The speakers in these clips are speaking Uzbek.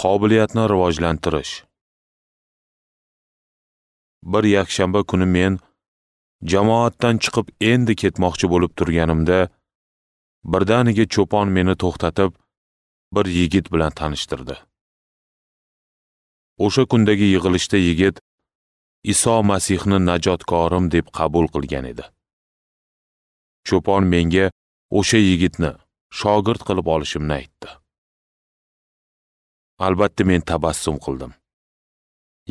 Qobiliyatni rivojlantirish. Bir yakshanba kuni men jamoatdan chiqib endi ketmoqchi bo'lib turganimda, birdaniga cho'pon meni to'xtatib, bir yigit bilan tanishtirdi. O'sha kundagi yig'ilishda yigit Iso Masihni najotkorim deb qabul qilgan edi. Cho'pon menga o'sha yigitni shogird qilib olishimni aytdi. Albatta men tabassum qildim.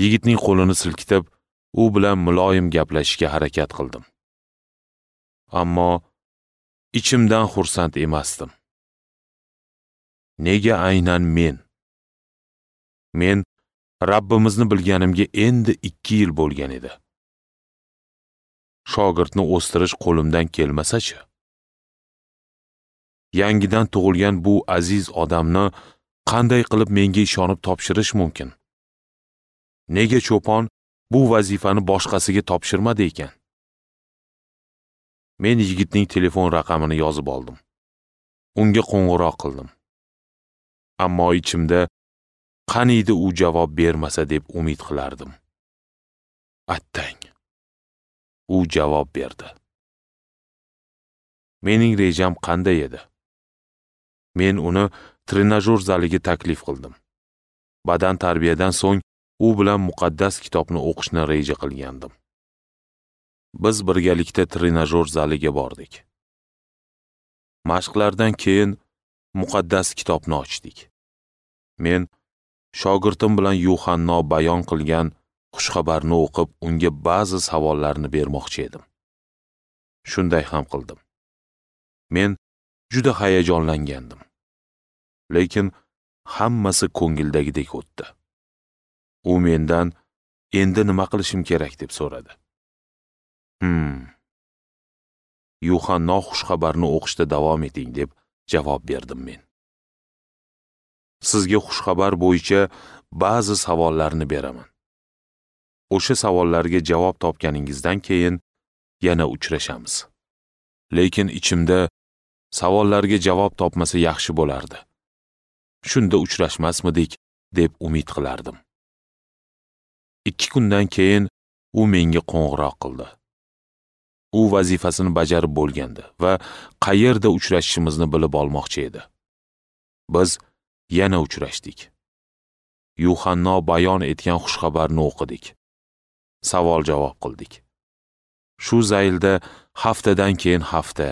Yigitning qo'lini silkitib, u bilan muloyim gaplashishga harakat qildim. Ammo ichimdan xursand emasdim. Nega aynan men? Men Rabbimizni bilganimga endi 2 yil bo'lgan edi. Shogirdni o'stirish qo'limdan kelmasa-chi? Yangidan tug'ilgan bu aziz odamni qanday qilib menga ishonib topshirish mumkin? Nega cho'pon bu vazifani boshqasiga topshirmadi ekan? Men yigitning telefon raqamini yozib oldim. Unga qo'ng'iroq qildim. Ammo ichimda qaniydi u javob bermasa deb umid qilardim. Attang. U javob berdi. Mening rejam qanday edi? Men uni trenajyor zaliga taklif qildim. Badan tarbiyadan so'ng u bilan muqaddas kitobni o'qishni reja qilgandim. Biz birgalikda trenajyor zaliga bordik. Mashqlardan keyin muqaddas kitobni ochdik. Men shogirdim bilan Yuhanno bayon qilgan xushxabarni o'qib, unga ba'zi savollarni bermoqchi edim. Shunday ham qildim. Men juda hayajonlangandim. Lekin hammasi ko'ngildagidek o'tdi. U mendan endi nima qilishim kerak deb so'radi. Yuhanno xushxabarni o'qishda davom eting deb javob berdim men. Sizga xushxabar bo'yicha ba'zi savollarni beraman. O'sha savollarga javob topganingizdan keyin yana uchrashamiz. Lekin ichimda savollarga javob topmasa yaxshi bo'lardi. Shunda uchrashmasmidik deb umid qilardim. 2 kundan keyin u menga qo'ng'iroq qildi. U vazifasini bajarib bo'lgandi va qayerda uchrashishimizni bilib olmoqchi edi. Biz yana uchrashdik. Yuhanno bayon etgan xushxabarni o'qidik. Savol-javob qildik. Shu zaylda haftadan keyin hafta,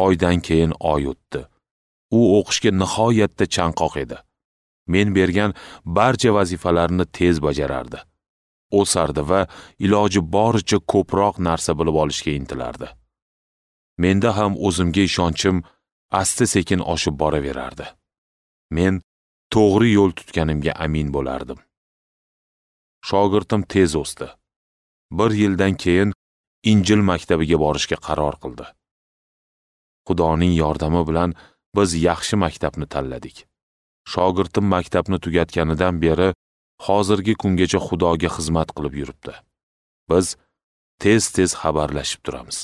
oydan keyin oy o'tdi. U o'qishga nihoyatda chanqoq edi. Men bergan barcha vazifalarni tez bajarardi. O'sardi va iloji boricha ko'proq narsa bilib olishga intilardi. Menda ham o'zimga ishonchim asta-sekin oshib boraverardi. Men to'g'ri yo'l tutganimga amin bo'lardim. Shogirdim tez o'sdi. 1 yildan keyin Injil maktabiga borishga qaror qildi. Xudoning yordami bilan biz yaxshi maktabni tanladik. Shogirdim maktabni tugatganidan beri hozirgi kungacha Xudoga xizmat qilib yuribdi. Biz tez-tez xabarlashib turamiz.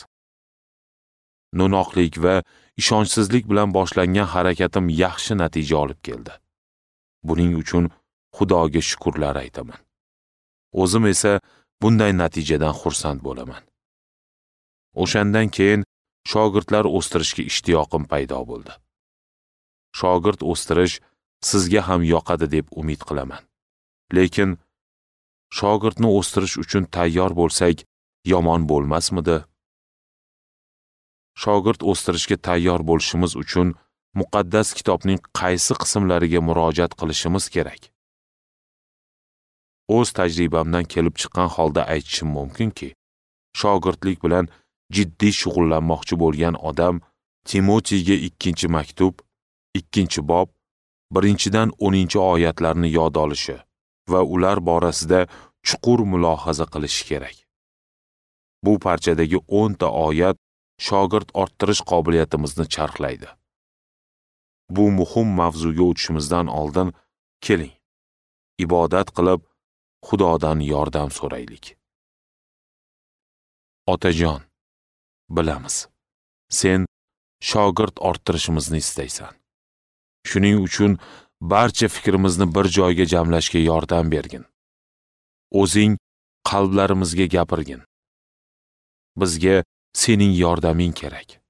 No'noqlik va ishonchsizlik bilan boshlangan harakatim yaxshi natija olib keldi. Buning uchun Xudoga shukrlar aytaman. O'zim esa bunday natijadan xursand bo'laman. O'shandan keyin shogirdlar o'stirishga ishtiyoqim paydo bo'ldi. Shogird o'stirish sizga ham yoqadi deb umid qilaman. Lekin shogirdni o'stirish uchun tayyor bo'lsak, yomon bo'lmasmidi? Shogird o'stirishga tayyor bo'lishimiz uchun muqaddas kitobning qaysi qismlariga murojaat qilishimiz kerak? O'z tajribamdan kelib chiqqan holda aytishim mumkinki, shogirdlik bilan jiddiy shug'ullanmoqchi bo'lgan odam Timotiyga 2-maktub, 2-bob, 1-dan 10-oyatlarni yod olishi va ular borasida chuqur mulohaza qilishi kerak. Bu parchadagi 10 ta oyat shogird orttirish qobiliyatimizni charxlaydi. Bu muhim mavzuga o'tishimizdan oldin keling, ibodat qilib Xudodan yordam so'raylik. Otajon, bilamiz, sen shogird orttirishimizni istaysan. Shuning uchun Barcha fikrimizni bir joyga jamlashga yordam bergin. O'zing qalblarimizga gapirgin. Bizga sening yordaming kerak.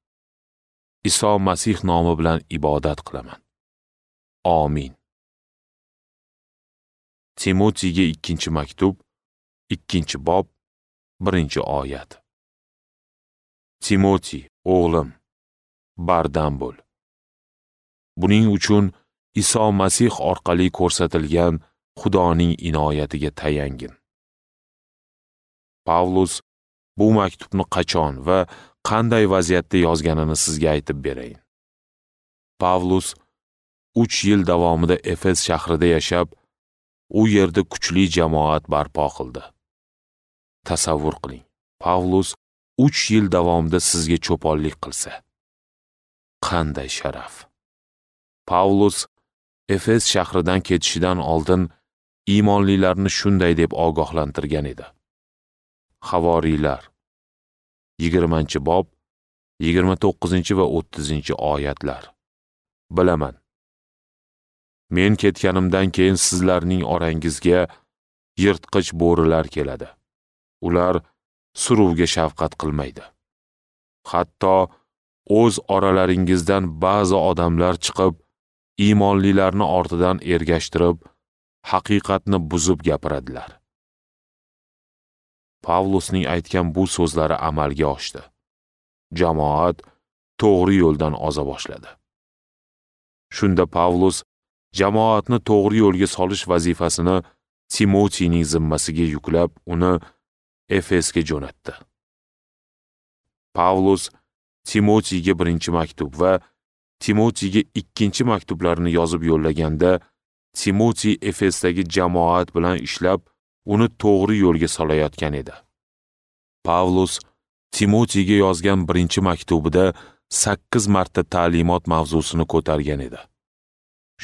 Iso Masih nomi bilan ibodat qilaman. Amin. Timotiyga 2-maktub, 2-bob, 1-oyat. Timoti, o'g'lim, bardam bo'l. Buning uchun Iso Masih orqali ko'rsatilgan Xudoning inoyatiga tayangin. Pavlus bu maktubni qachon va qanday vaziyatda yozganini sizga aytib berayin. Pavlus 3 yil davomida Efes shahrida yashab, u yerda kuchli jamoat barpo qildi. Tasavvur qiling, Pavlus 3 yil davomida sizga cho'ponlik qilsa. Qanday sharaf! Pavlus Efes shahridan ketishidan oldin iymonlilarni shunday deb ogohlantirgan edi. Havoriylar 20-bob, 29 va 30-oyatlar. Bilaman, men ketganimdan keyin sizlarning orangizga yirtqich bo'rilar keladi. Ular suruvga shafqat qilmaydi. Hatto o'z oralaringizdan ba'zi odamlar chiqib, iymonlilarni ortidan ergashtirib, haqiqatni buzib gapiradilar. Pavlusning aytgan bu so'zlari amalga oshdi. Jamoat to'g'ri yo'ldan oza boshladi. Shunda Pavlus jamoatni to'g'ri yo'lga solish vazifasini Timotiyning zimmasiga yuklab, uni Efesga jo'natdi. Pavlus Timotiyga 1-maktub va Timotiyga 2-maktublarni yozib yo'llaganda, Timotiy Efesdagi jamoat bilan ishlab, uni to'g'ri yo'lga solayotgan edi. Pavlus Timotiyga yozgan 1-maktubida 8 marta ta'limot mavzusini ko'targan edi.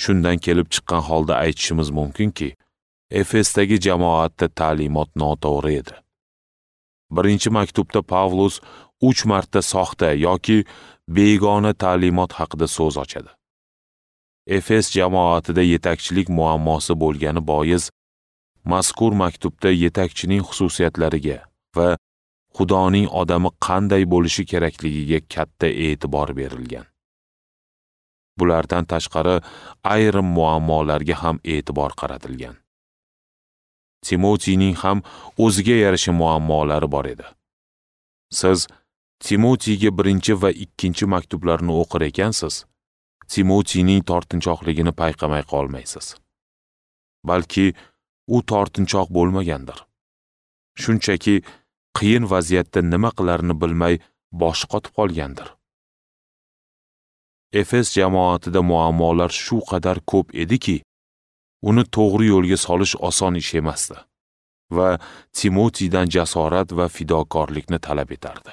Shundan kelib chiqqan holda aytishimiz mumkinki, Efesdagi jamoatda ta'limot noto'g'ri edi. 1-maktubda Pavlus 3 marta soxta yoki begona ta'limot haqida so'z ochadi. Efes jamoatida yetakchilik muammosi bo'lgani bois, mazkur maktubda yetakchining xususiyatlariga va Xudoning odami qanday bo'lishi kerakligiga katta e'tibor berilgan. Bulardan tashqari ayrim muammolarga ham e'tibor qaratilgan. Timotiyning ham o'ziga yarasha muammolari bor edi. Siz Timotiyga 1 va 2 maktublarni o'qir ekansiz, Timotiyning tortinchoqligini payqamay qolmaysiz. Balki u tortinchoq bo'lmagandir. Shunchaki qiyin vaziyatda nima qilarini bilmay boshi qotib qolgandir. Efes jamoatida muammolar shu qadar ko'p ediki, uni to'g'ri yo'lga solish oson ish emasdi va Timotiydan jasorat va fidokorlikni talab etardi.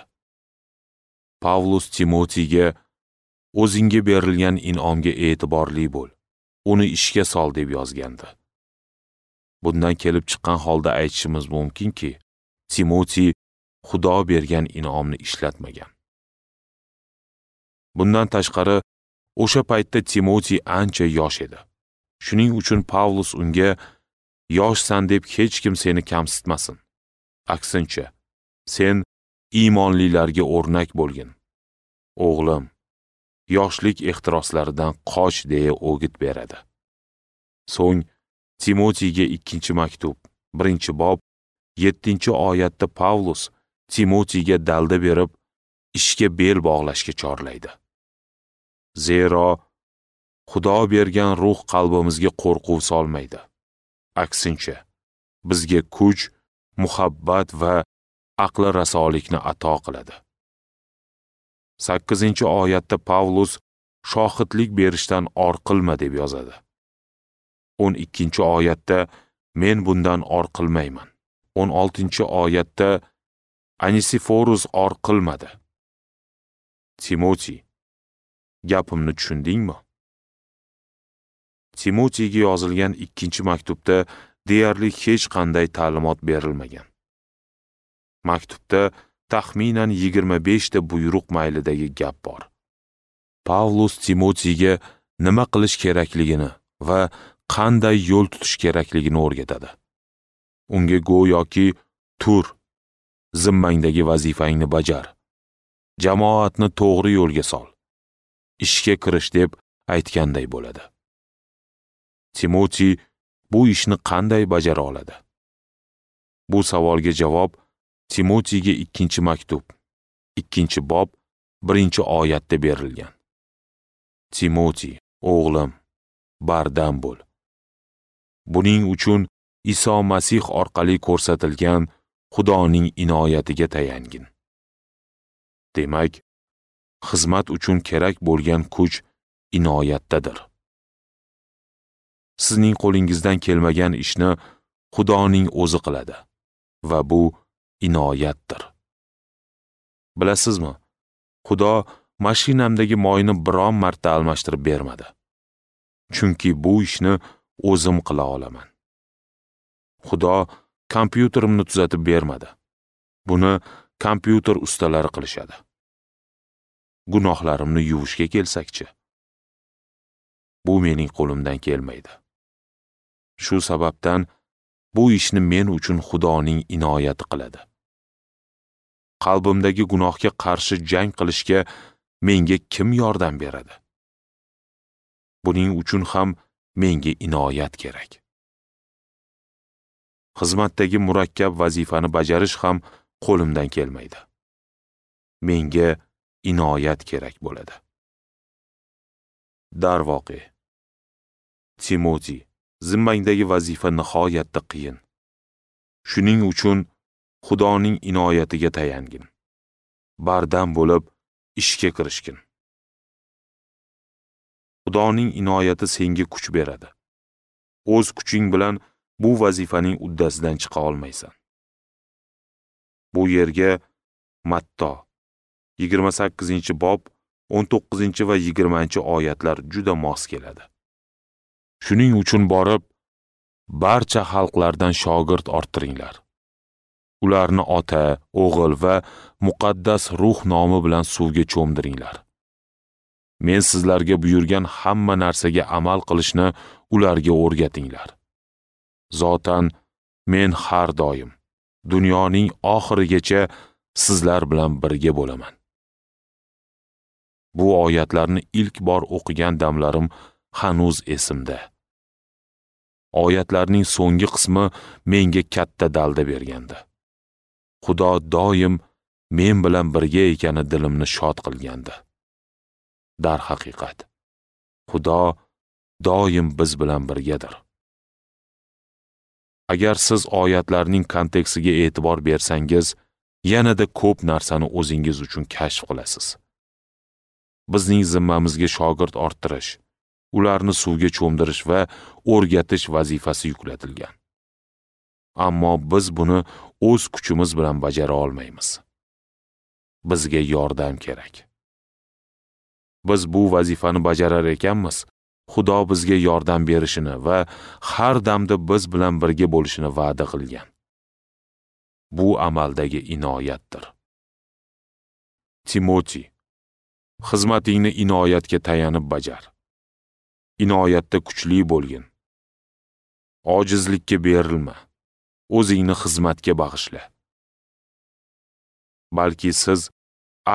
Pavlus Timotiyga o'zingga berilgan in'omga e'tiborli bo'l, uni ishga sol deb yozgandi. Bundan kelib chiqqan holda aytishimiz mumkinki, Timotiy Xudo bergan in'omni ishlatmagan. Bundan tashqari, o'sha paytda Timotiy ancha yosh edi. Shuning uchun Pavlus unga yoshsan deb hech kim seni kamsitmasin. Aksincha, sen iymonlilarga o'rnak bo'lgin. O'g'lim, yoshlik ehtiroslaridan qoch deya o'git beradi. So'ng Timotiyga 2-maktub, 1-bob, 7-oyatda Pavlus Timotiyga dalda berib, ishga bel bog'lashga chorlaydi. Zero Xudo bergan ruh qalbimizga qo'rquv solmaydi. Aksincha, bizga kuch, muhabbat va aqli rasolikni ato qiladi. 8-oyatda Pavlus shohidlik berishdan or qilma deb yozadi. 12-oyatda men bundan or qilmayman. 16-oyatda Anisiforus or qilmadi. Timotiy, gapimni tushundingmi? Timotiyga yozilgan 2-maktubda deyarli hech qanday ta'limot berilmagan. Maktubda taxminan 25 ta buyruq maylidagi gap bor. Pavlus Timotiyga nima qilish kerakligini va qanday yo'l tutish kerakligini o'rgatadi. Unga go'yoki tur, zimmangdagi vazifangni bajar, jamoatni to'g'ri yo'lga sol, ishga kirish deb aytganday bo'ladi. Timoti bu ishni qanday bajara oladi? Bu savolga javob Timotiga 2-maktub, 2-bob, 1-oyatda berilgan. Timoti, o'g'lim, bardam bo'l. Buning uchun Iso Masih orqali ko'rsatilgan Xudoning inoyatiga tayangin. Demak, xizmat uchun kerak bo'lgan kuch inoyatdadir. Sizning qo'lingizdan kelmagan ishni Xudoning o'zi qiladi va bu inoyatdir. Bilasizmi, Xudo mashinamdagi moyni biron marta almashtirib bermadi. Chunki bu ishni o'zim qila olaman. Xudo kompyuterimni tuzatib bermadi. Buni kompyuter ustalari qilishadi. Gunohlarimni yuvishga kelsakchi, bu mening qo'limdan kelmaydi. Shu sababdan bu ishni men uchun Xudoning inoyati qiladi. Qalbimdagi gunohga qarshi jang qilishga menga kim yordam beradi? Buning uchun ham menga inoyat kerak. Xizmatdagi murakkab vazifani bajarish ham qo'limdan kelmaydi. Menga inoyat kerak bo'ladi. Darvoqe, Timoti, zimmangdagi vazifa nihoyatda qiyin. Shuning uchun Xudoning inoyatiga tayangin. Bardam bo'lib ishga kirishgin. Xudoning inoyati senga kuch beradi. O'z kuching bilan bu vazifaning uddasidan chiqa olmaysan. Bu yerga Matto 28-bob 19 va 20-oyatlar juda mos keladi. Shuning uchun borib, barcha xalqlardan shogird orttiringlar. Ularni Ota, O'g'il va Muqaddas Ruh nomi bilan suvga cho'mdiringlar. Men sizlarga buyurgan hamma narsaga amal qilishni ularga o'rgatinglar. Zotan men har doim dunyoning oxirigacha sizlar bilan birga bo'laman. Bu oyatlarni ilk bor o'qigan damlarim hanuz esimda. Oyatlarning so'nggi qismi menga katta dalda bergandi. Xudo doim men bilan birga ekani dilimni shod qilgandi. Darhaqiqat, Xudo doim biz bilan birgadir. Agar siz oyatlarning kontekstiga e'tibor bersangiz, yanada ko'p narsani o'zingiz uchun kashf qilasiz. Bizning zimmamizga shogird orttirish, ularni suvga cho'mdirish va o'rgatish vazifasi yuklatilgan. Ammo biz buni o'z kuchimiz bilan bajara olmaymiz. Bizga yordam kerak. Biz bu vazifani bajarar ekanmiz, Xudo bizga yordam berishini va har damda biz bilan birga bo'lishini va'da qilgan. Bu amaldagi inoyatdir. Timoti, xizmatingni inoyatga tayanib bajar. Inoyatda kuchli bo'lgin. Ojizlikka berilma. O'zingni xizmatga bag'ishla. Balki siz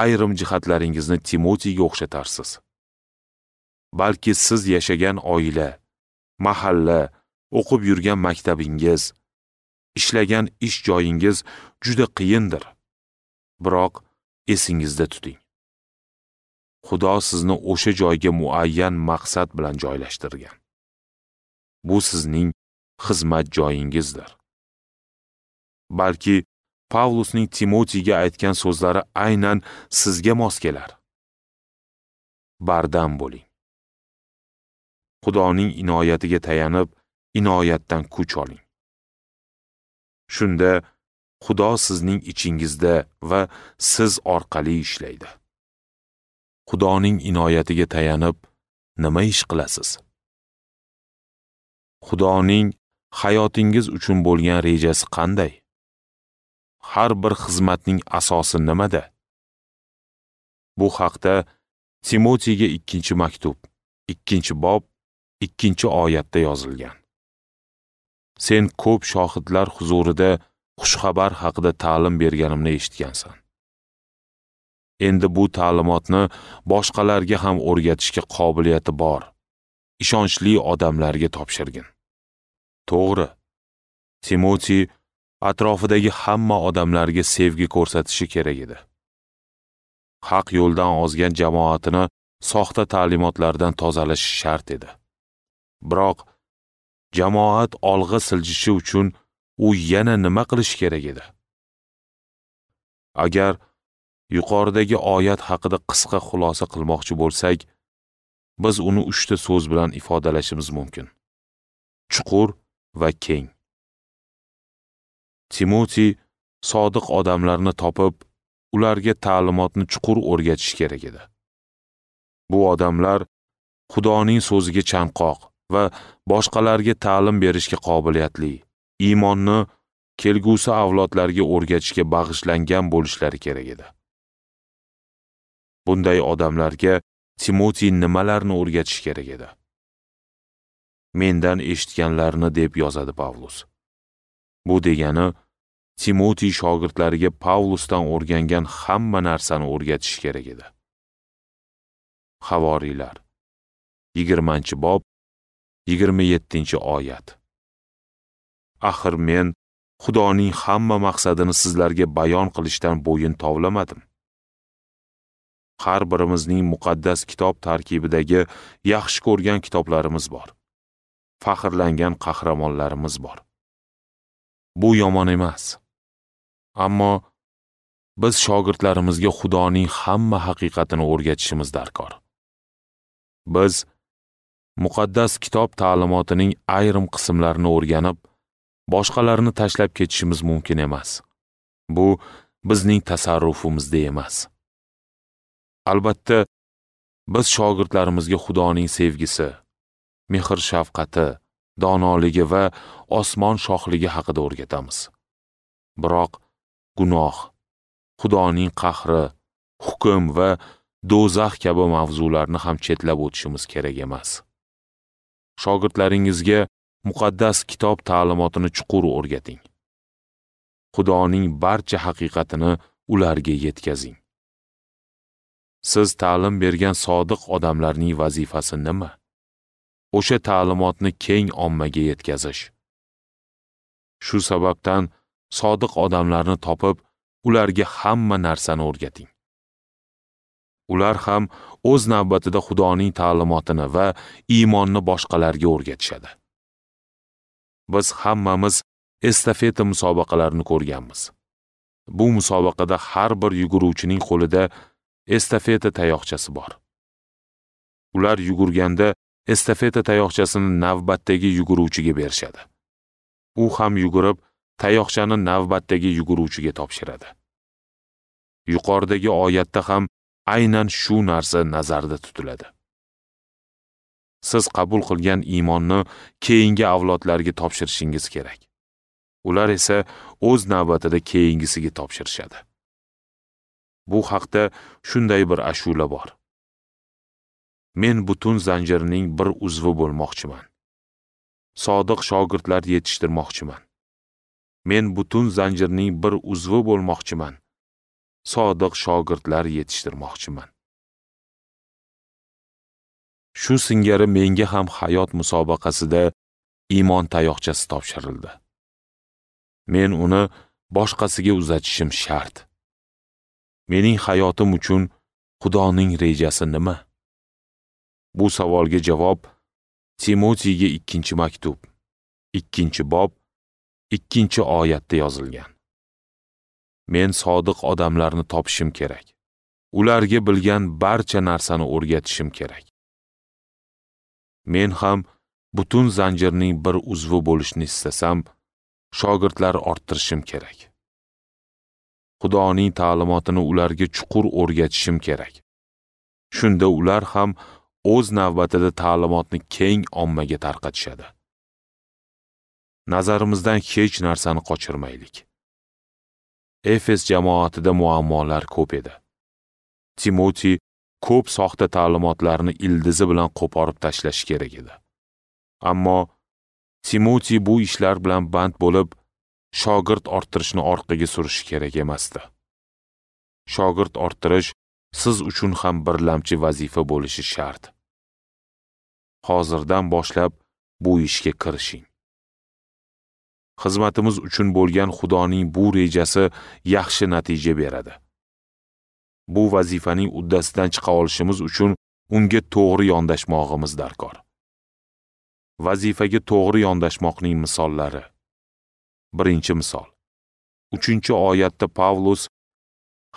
ayrim jihatlaringizni Timotiga o'xshatarsiz. Balki siz yashagan oila, mahalla, o'qib yurgan maktabingiz, ishlagan ish joyingiz juda qiyindir. Biroq esingizda tuting. Xudo sizni o'sha joyga muayyan maqsad bilan joylashtirgan. Bu sizning xizmat joyingizdir. Balki Pavlusning Timotiga aytgan so'zlari aynan sizga mos kelar. Bardam bo'ling. Xudoning inoyatiga tayanib, inoyatdan kuch oling. Shunda Xudo sizning ichingizda va siz orqali ishlaydi. Xudoning inoyatiga tayanib, nima ish qilasiz? Xudoning hayotingiz uchun bo'lgan rejasi qanday? Har bir xizmatning asosi nimada? Bu haqda Timotiga 2-maktub, 2-bob, 2-oyatda yozilgan. Sen ko'p shohidlar huzurida xushxabar haqida ta'lim berganimni eshitgansan. Endi bu ta'limotni boshqalarga ham o'rgatishga qobiliyati bor, ishonchli odamlarga topshirgin. To'g'ri, Timoti atrofidagi hamma odamlarga sevgi ko'rsatishi kerak edi. Haq yo'ldan ozgan jamoatini soxta ta'limotlardan tozalashi shart edi. Biroq jamoat olg'a siljishi uchun u yana nima qilish kerak edi? Agar yuqoridagi oyat haqida qisqa xulosa qilmoqchi bo'lsak, biz uni 3 ta so'z bilan ifodalashimiz mumkin: chuqur va keng. Timoti sodiq odamlarni topib, ularga ta'limotni chuqur o'rgatish kerak edi. Bu odamlar Xudoning so'ziga chanqoq va boshqalarga ta'lim berishga qobiliyatli, iymonni kelgusi avlodlarga o'rgatishga bag'ishlangan bo'lishlari kerak edi. Bunday odamlarga Timoti nimalarni o'rgatish kerak edi? Mendan eshitganlarni deb yozadi Pavlus. Bu degani, Timoti shogirdlariga Pavlusdan o'rgangan hamma narsani o'rgatish kerak edi. Havoriylar 20-bob 27-oyat. Axir men Xudoning hamma maqsadini sizlarga bayon qilishdan bo'yin tovlamadim. Har birimizning muqaddas kitob tarkibidagi yaxshi ko'rgan kitoblarimiz bor. Faxrlangan qahramonlarimiz bor. Bu yomon emas. Ammo biz shogirdlarimizga Xudoning hamma haqiqatini o'rgatishimiz darkor. Biz muqaddas kitob ta'limotining ayrim qismlarini o'rganib, boshqalarini tashlab ketishimiz mumkin emas. Bu bizning tasarrufimizda emas. Albatta, biz shogirdlarimizga Xudoning sevgisi, mehr-shafqati, donoligi va osmon shohligi haqida o'rgatamiz. Biroq gunoh, Xudoning qahri, hukm va do'zax kabi mavzularni ham chetlab o'tishimiz kerak emas. Shogirdlaringizga muqaddas kitob ta'limotini chuqur o'rgating. Xudoning barcha haqiqatini ularga yetkazing. Siz ta'lim bergan sodiq odamlarning vazifasi nima? O'sha ta'limotni keng ommaga yetkazish. Shu sababdan sodiq odamlarni topib, ularga hamma narsani o'rgating. Ular ham o'z navbatida Xudoning ta'limotini va iymonni boshqalarga o'rgatishadi. Biz hammamiz estafeta musobaqalarini ko'rganmiz. Bu musobaqada har bir yuguruvchining qo'lida estafeta tayoqchasi bor. Ular yugurganda estafeta tayoqchasini navbatdagi yuguruvchiga berishadi. U ham yugurib, tayoqchani navbatdagi yuguruvchiga topshiradi. Yuqoridagi oyatda ham aynan shu narsa nazarda tutiladi. Siz qabul qilgan iymonni keyingi avlodlarga topshirishingiz kerak. Ular esa o'z navbatida keyingisiga topshirishadi. Bu haqda shunday bir ashula bor. Men butun zanjirning bir uzvi bo'lmoqchiman. Sodiq shogirdlar yetishtirmoqchiman. Men butun zanjirning bir uzvi bo'lmoqchiman. Sodiq shogirdlar yetishtirmoqchiman. Shu singari menga ham hayot musobaqasida iymon tayoqchasi topshirildi. Men uni boshqasiga uzatishim shart. Mening hayotim uchun Xudoning rejasi nima? Bu savolga javob Timotiyga 2-maktub, 2-bob, 2-oyatda yozilgan. Men sodiq odamlarni topishim kerak. Ularga bilgan barcha narsani o'rgatishim kerak. Men ham butun zanjirning bir uzvi bo'lishni istasam, shogirdlar orttirishim kerak. Xudoning ta'limotini ularga chuqur o'rgatishim kerak. Shunda ular ham o'z navbatida ta'limotni keng ommaga tarqatishadi. Nazarimizdan hech narsani qochirmaylik. Efes jamoatida muammolar ko'p edi. Timoti ko'p soxta ta'limotlarni ildizi bilan qo'porib tashlash kerak edi. Ammo Timoti bu ishlar bilan band bo'lib, shogird orttirishni orqaga surishi kerak emasdi. Shogird orttirish siz uchun ham birlamchi vazifa bo'lishi shart. Hozirdan boshlab bu ishga kirishing. Xizmatimiz uchun bo'lgan Xudoning bu rejasi yaxshi natija beradi. Bu vazifaning uddasidan chiqa olishimiz uchun unga to'g'ri yondashmog'imiz darkor. Vazifaga to'g'ri yondashmoqning misollari. Birinchi misol. 3-oyatda Pavlus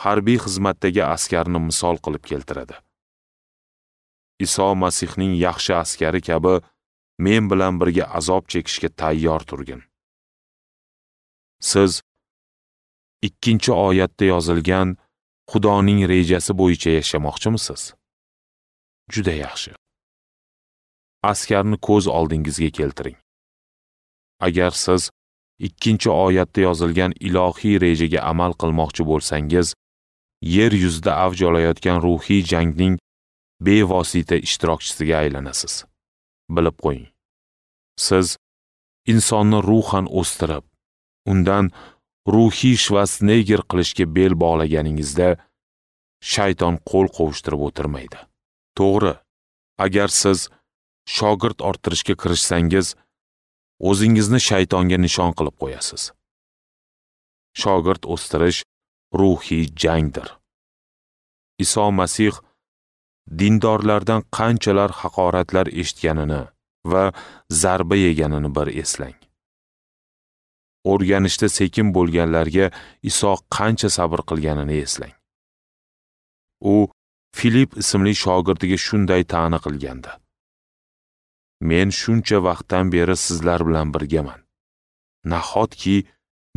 harbiy xizmatdagi askarni misol qilib keltiradi. Iso Masihning yaxshi askari kabi men bilan birga azob chekishga tayyor turgin. Siz 2-oyatda yozilgan Xudoning rejasi bo'yicha yashamoqchimisiz? Juda yaxshi. Askarni ko'z oldingizga keltiring. Agar siz 2-oyatda yozilgan ilohiy rejaga amal qilmoqchi bo'lsangiz, yer yuzida avj olayotgan ruhiy jangning bevosita ishtirokchisiga aylanasiz. Bilib qo'ying. Siz insonni ruhan o'stirib, undan ruhiy Shvarsenegger qilishga bel bog'laganingizda shayton qo'l qovushtirib o'tirmaydi. To'g'ri, agar siz shogird orttirishga kirishsangiz, o'zingizni shaytonga nishon qilib qo'yasiz. Shogird o'stirish ruhiy jangdir. Iso Masih dindorlardan qanchalar haqoratlar eshitganini va zarba yeganini bir eslang. O'rganishda sekin bo'lganlarga Iso qancha sabr qilganini eslang. U Filip ismli shogirdiga shunday ta'na qilgandi: Men shuncha vaqtdan beri sizlar bilan birgaman. Nahotki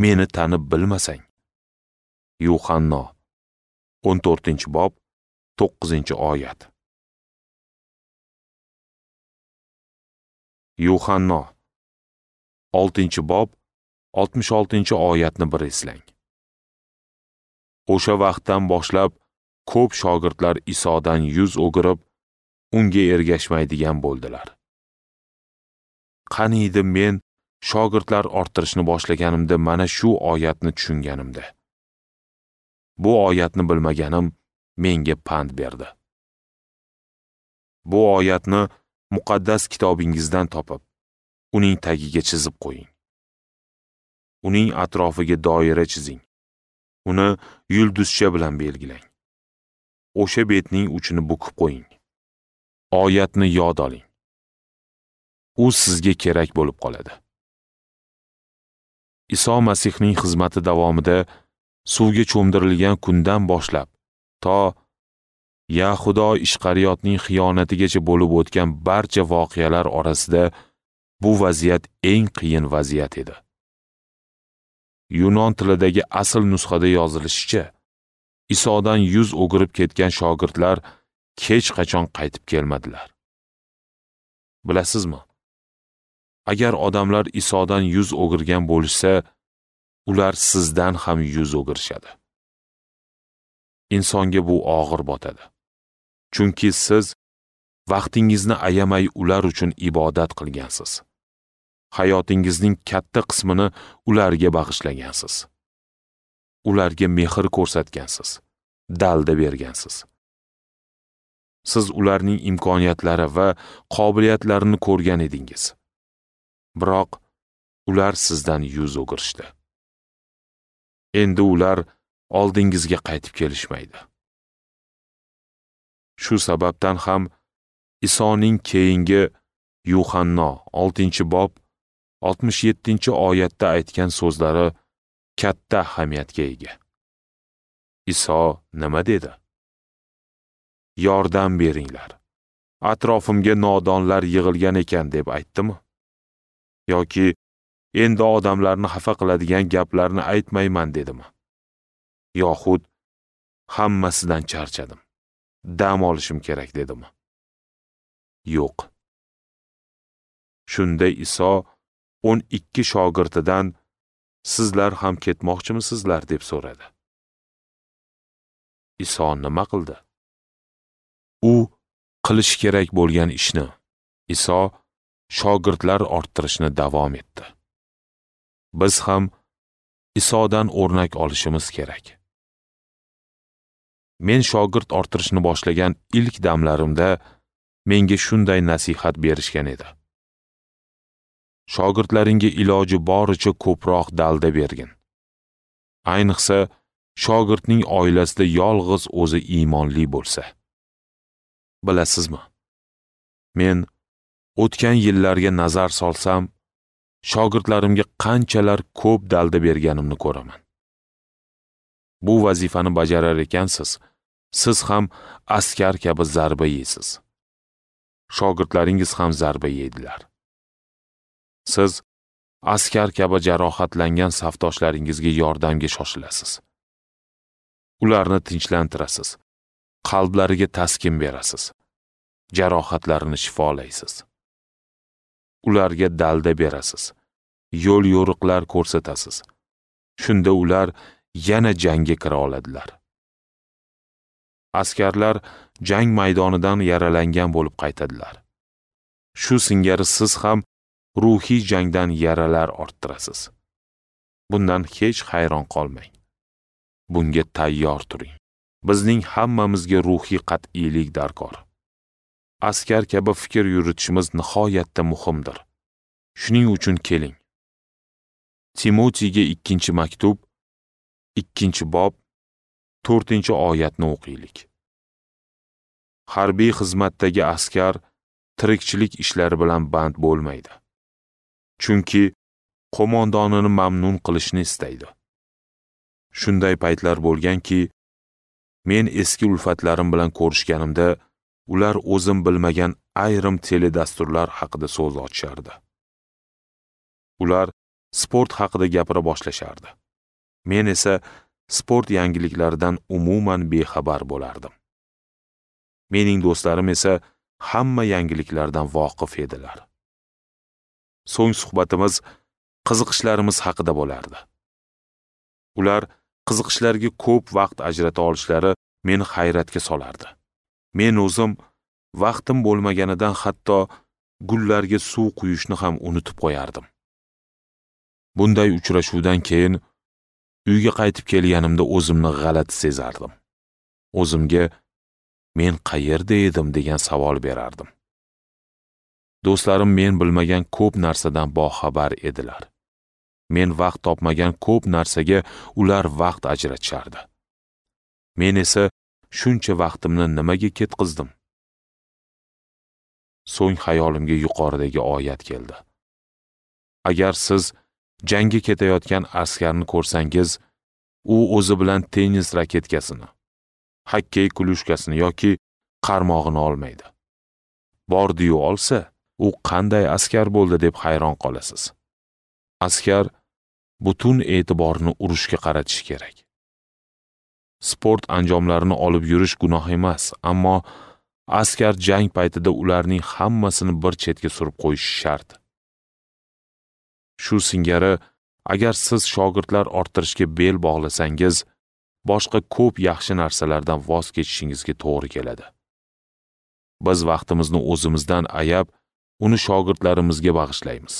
meni tanib bilmasang? Yuhanno 14-bob 9-oyat. Yuhanno 6-bob 66-oyatni bir eslang. O'sha vaqtdan boshlab ko'p shogirdlar Isodan yuz o'girib, unga ergashmaydigan bo'ldilar. Qani edi men shogirdlar orttirishni boshlaganimda mana shu oyatni tushunganimda. Bu oyatni bilmaganim menga pand berdi. Bu oyatni muqaddas kitobingizdan topib, uning tagiga chizib qo'ying. Uning atrofiga doira chizing. Uni yulduzcha bilan belgilang. O'sha betning uchini bukib qo'ying. Oyatni yod oling. U sizga kerak bo'lib qoladi. Iso Masihning xizmati davomida suvga cho'mdirilgan kundan boshlab to Yahudo Ishqariyotning xiyonatigacha bo'lib o'tgan barcha voqealar orasida bu vaziyat eng qiyin vaziyat edi. Yunon tilidagi asl nusxada yozilishicha, Isodan yuz o'girib ketgan shogirdlar hech qachon qaytib kelmadilar. Bilasizmi? Agar odamlar Isodan yuz o'girgan bo'lishsa, ular sizdan ham yuz o'girishadi. Insonga bu og'ir botadi. Chunki siz vaqtingizni ayamay ular uchun ibodat qilgansiz. Hayotingizning katta qismini ularga bag'ishlagansiz. Ularga mehr ko'rsatgansiz, dalda bergansiz. Siz ularning imkoniyatlari va qobiliyatlarini ko'rgan edingiz. Biroq ular sizdan yuz o'girishdi. Endi ular oldingizga qaytib kelishmaydi. Shu sababdan ham Isoning keyingi Yuhanno 6-bob 67-oyatda aytgan so'zlari katta ahamiyatga ega. Iso nima dedi? Yordam beringlar. Atrofimga nodonlar yig'ilgan ekan deb aytdimi? Yoki endi odamlarni xafa qiladigan gaplarni aytmayman dedimi? Yoxud hammasidan charchadim, dam olishim kerak dedimi? Yo'q. Shunda Iso 12 shogirdidan sizlar ham ketmoqchimisizlar deb so'radi. Iso nima qildi? U qilish kerak bo'lgan ishni Iso shogirdlar orttirishni davom etdi. Biz ham Isodan o'rnak olishimiz kerak. Men shogird orttirishni boshlagan ilk damlarimda menga shunday nasihat berishgan edi. Shogirdlaringga iloji boricha ko'proq dalda bergin. Ayniqsa, shogirdning oilasida yolg'iz o'zi iymonli bo'lsa. Bilasizmi? Men o'tgan yillarga nazar solsam, shogirdlarimga qanchalar ko'p dalda berganimni ko'raman. Bu vazifani bajarar ekansiz, siz ham askar kabi zarba yeysiz. Shogirdlaringiz ham zarba yeydilar. Siz askar kabi jarohatlangan safdoshlaringizga yordamga shoshilasiz. Ularni tinchlantirasiz, qalblariga taskin berasiz, jarohatlarini shifolaysiz. Ularga dalda berasiz, yo'l yo'riqlar ko'rsatasiz. Shunda ular yana jangga kira oladilar. Askarlar jang maydonidan yaralangan bo'lib qaytadilar. Shu singari siz ham ruhiy jangdan yaralar orttirasiz. Bundan hech hayron qolmang. Bunga tayyor turing. Bizning hammamizga ruhiy qat'iylik darkor. Askar kabi fikr yuritishimiz nihoyatda muhimdir. Shuning uchun keling. Timotiyga 2-maktub, 2-bob, 4-oyatni o'qiylik. Harbiy xizmatdagi askar tirikchilik ishlari bilan band bo'lmaydi. Chunki qo'mondonini mamnun qilishni istaydi. Shunday paytlar bo'lganki, men eski ulfatlarim bilan ko'rishganimda ular o'zim bilmagan ayrim teledasturlar haqida so'z ochishardi. Ular sport haqida gapira boshlashardi. Men esa sport yangiliklaridan umuman bexabar bo'lardim. Mening do'stlarim esa hamma yangiliklardan voqif edilar. So'ng suhbatimiz qiziqishlarimiz haqida bo'lardi. Ular qiziqishlarga ko'p vaqt ajrata olishlari meni hayratga solardi. Men o'zim vaqtim bo'lmaganidan hatto gullarga suv quyishni ham unutib qo'yardim. Bunday uchrashuvdan keyin uyga qaytib kelganimda o'zimni g'alati sezardim. O'zimga men qayerda edim degan savol berardim. Do'stlarim men bilmagan ko'p narsadan boxabar edilar. Men vaqt topmagan ko'p narsaga ular vaqt ajratishardi. Men esa shuncha vaqtimni nimaga ketqizdim? So'ng xayolimga yuqoridagi oyat keldi. Agar siz jangga ketayotgan askarni ko'rsangiz, u o'zi bilan tennis raketkasini, xokkey klyushkasini yoki qarmog'ini olmaydi. Bordi-yu olsa, u qanday askar bo'ldi deb hayron qolasiz. Askar butun e'tiborini urushga qaratishi kerak. Sport anjomlarini olib yurish gunoh emas, ammo askar jang paytida ularning hammasini bir chetga surib qo'yishi shart. Shu singari, agar siz shogirdlar orttirishga bel bog'lasangiz, boshqa ko'p yaxshi narsalardan voz kechishingizga to'g'ri keladi. Biz vaqtimizni o'zimizdan ayab, uni shogirdlarimizga bag'ishlaymiz.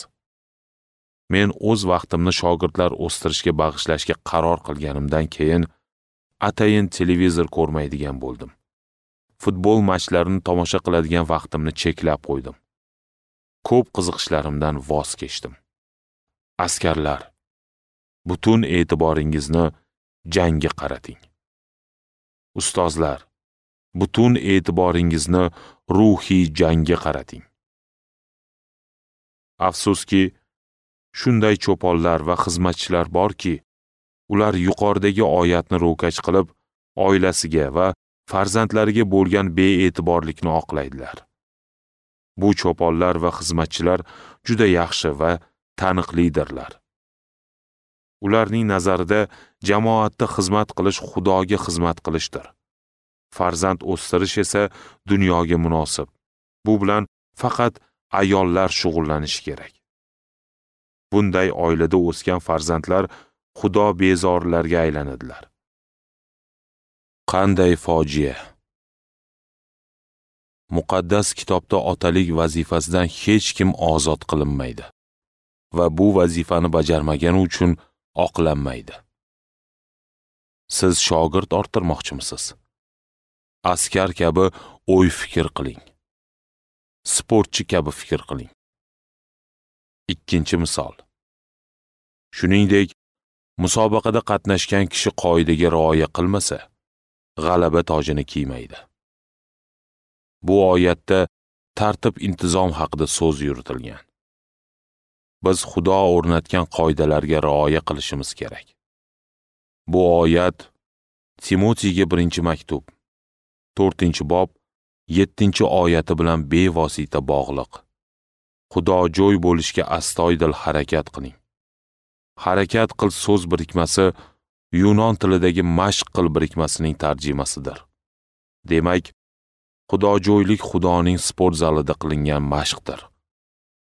Men o'z vaqtimni shogirdlar o'stirishga bag'ishlashga qaror qilganimdan keyin atayin televizor ko'rmaydigan bo'ldim. Futbol matchlarini tomosha qiladigan vaqtimni cheklab qo'ydim. Ko'p qiziqishlarimdan voz kechdim. Askarlar, butun e'tiboringizni jangga qarating. Ustozlar, butun e'tiboringizni ruhiy jangga qarating. Afsuski, shunday cho'ponlar va xizmatchilar borki, ular yuqoridagi oyatni ro'kach qilib, oilasiga va farzandlariga bo'lgan bee'tiborlikni oqlaydilar. Bu cho'ponlar va xizmatchilar juda yaxshi va taniqlidirlar. Ularning nazarida jamoatda xizmat qilish Xudoga xizmat qilishdir. Farzand o'stirish esa dunyoga munosib. Bu bilan faqat ayollar shug'ullanishi kerak. Bunday oilada o'sgan farzandlar Xudo bezorilarga aylanadilar. Qanday fojia! Muqaddas kitobda otalik vazifasidan hech kim ozod qilinmaydi va bu vazifani bajarmagani uchun oqlanmaydi. Siz shogird orttirmoqchimisiz? Askar kabi o'y-fikr qiling. Sportchi kabi fikr qiling. Ikkinchi misol. Shuningdek, musobaqada qatnashgan kishi qoidaga rioya qilmasa, g'alaba tojini kiymaydi. Bu oyatda tartib-intizom haqida so'z yuritilgan. Biz Xudo o'rnatgan qoidalarga rioya qilishimiz kerak. Bu oyat Timotiyga 1-maktub, 4-bob, 7-oyati bilan bevosita bog'liq. Xudojo'y bo'lishga astoydil harakat qiling. Harakat qil so'z birikmasi yunon tilidagi mashq qil birikmasining tarjimasidir. Demak, xudojo'ylik Xudoning sport zalida qilingan mashqdir.